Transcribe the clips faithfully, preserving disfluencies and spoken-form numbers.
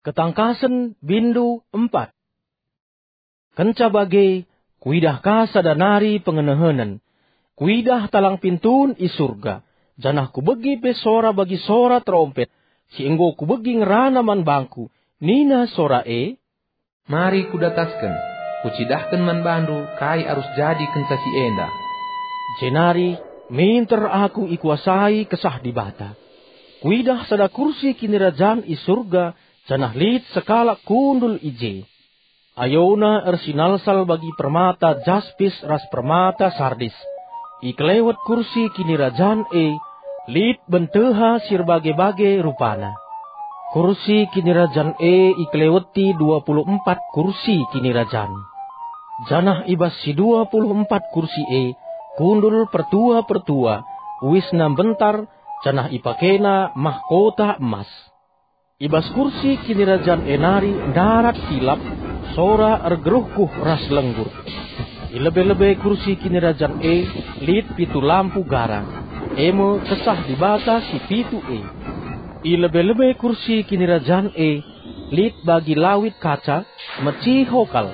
Ketangkasen bindu empat. Kenca bage, kuidah ka sada nari pengenehenen. Kuidah talang pintun i Surga, janah kubegi pe sora bagi sora terompet, si enggo kubegi ngerana man bangku, nina sora e, "Mari kudatasken, kucidahken man bandu kai arus jadi kenca si enda." Jenari minter aku ikuasai Kesah Dibata. Kuidah sada kursi kinirajan i Surga, janah lit sekalak kundul i je. Ayona ersinalsal bagi permata jaspis ras permata sardis. I kelewet kursi kinirajan e lit benteha si erbage-bage rupana. Kursi kinirajan e ikeleweti dua puluh empat kursi kinirajan. Janah i bas si dua puluh empat kursi e kundul pertua-pertua, uisna mbentar, janah ipakena mahkota emas. I bas kursi kinirajan e nari ndarat kilap, sora ergeruhkuh ras lenggur. I lebe-lebe kursi kinirajan e lit pitu lampu gara, e me Kesah Dibata si pitu e. I lebe-lebe kursi kinirajan e lit bagi lawit kaca, meciho kal.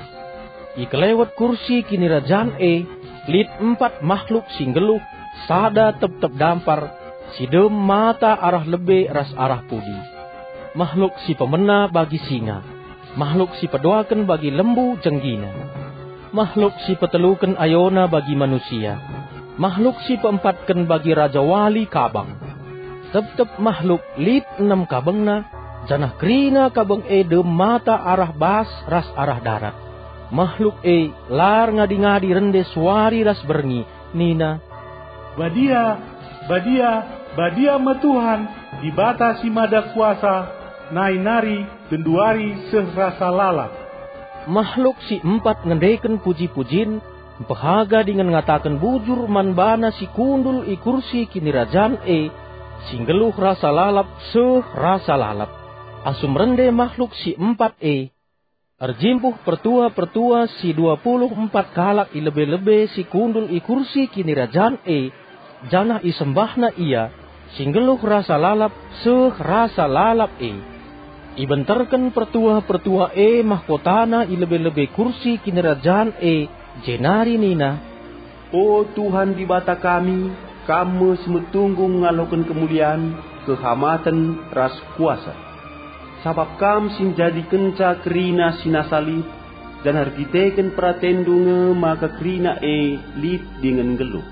I kelewet kursi kinirajan e lit empat mahluk si nggeluh, sada tep-tep dampar, si dem mata arah lebe ras arah pudi. Mahluk si pemena bagi singa, mahluk si peduaken bagi lembu jenggina, mahluk si peteluken ayona bagi manusia, mahluk si peempatken bagi rajawali kabang. Tep-tep mahluk lit enem kabengna, janah kerina kabeng e dem mata arah bas ras arah darat. Mahluk e la erngadi-ngadi rende suari ras berngi, nina, "Badia, badia, badia me Tuhan, Dibata si Mada Kuasa, nai nari, genduari seh rasa lalap." Mahluk si empat ngendeken puji-pujin, mpehaga dingen ngataken bujur man bana si kundul i kursi kinirajan e, si nggeluh rasa lalap seh rasa lalap. Asum rende mahluk si empat e, erjimpuh pertua-pertua si dua puluh empat kalak i lebe-lebe si kundul i kursi kinirajan e, janah isembahna ia, si nggeluh rasa lalap seh rasa lalap e. Ibenterken pertua-pertua e mahkotana i lebe-lebe kursi kinirajan e, jenari nina, "O Tuhan Dibata kami, Kam me si metunggung ngaloken kemulian, kehamaten, ras kuasa. Sabap Kam si njadikenca kerina si nasa lit, janah erkiteken peratenNdu nge maka kerina e lit dingen nggeluh."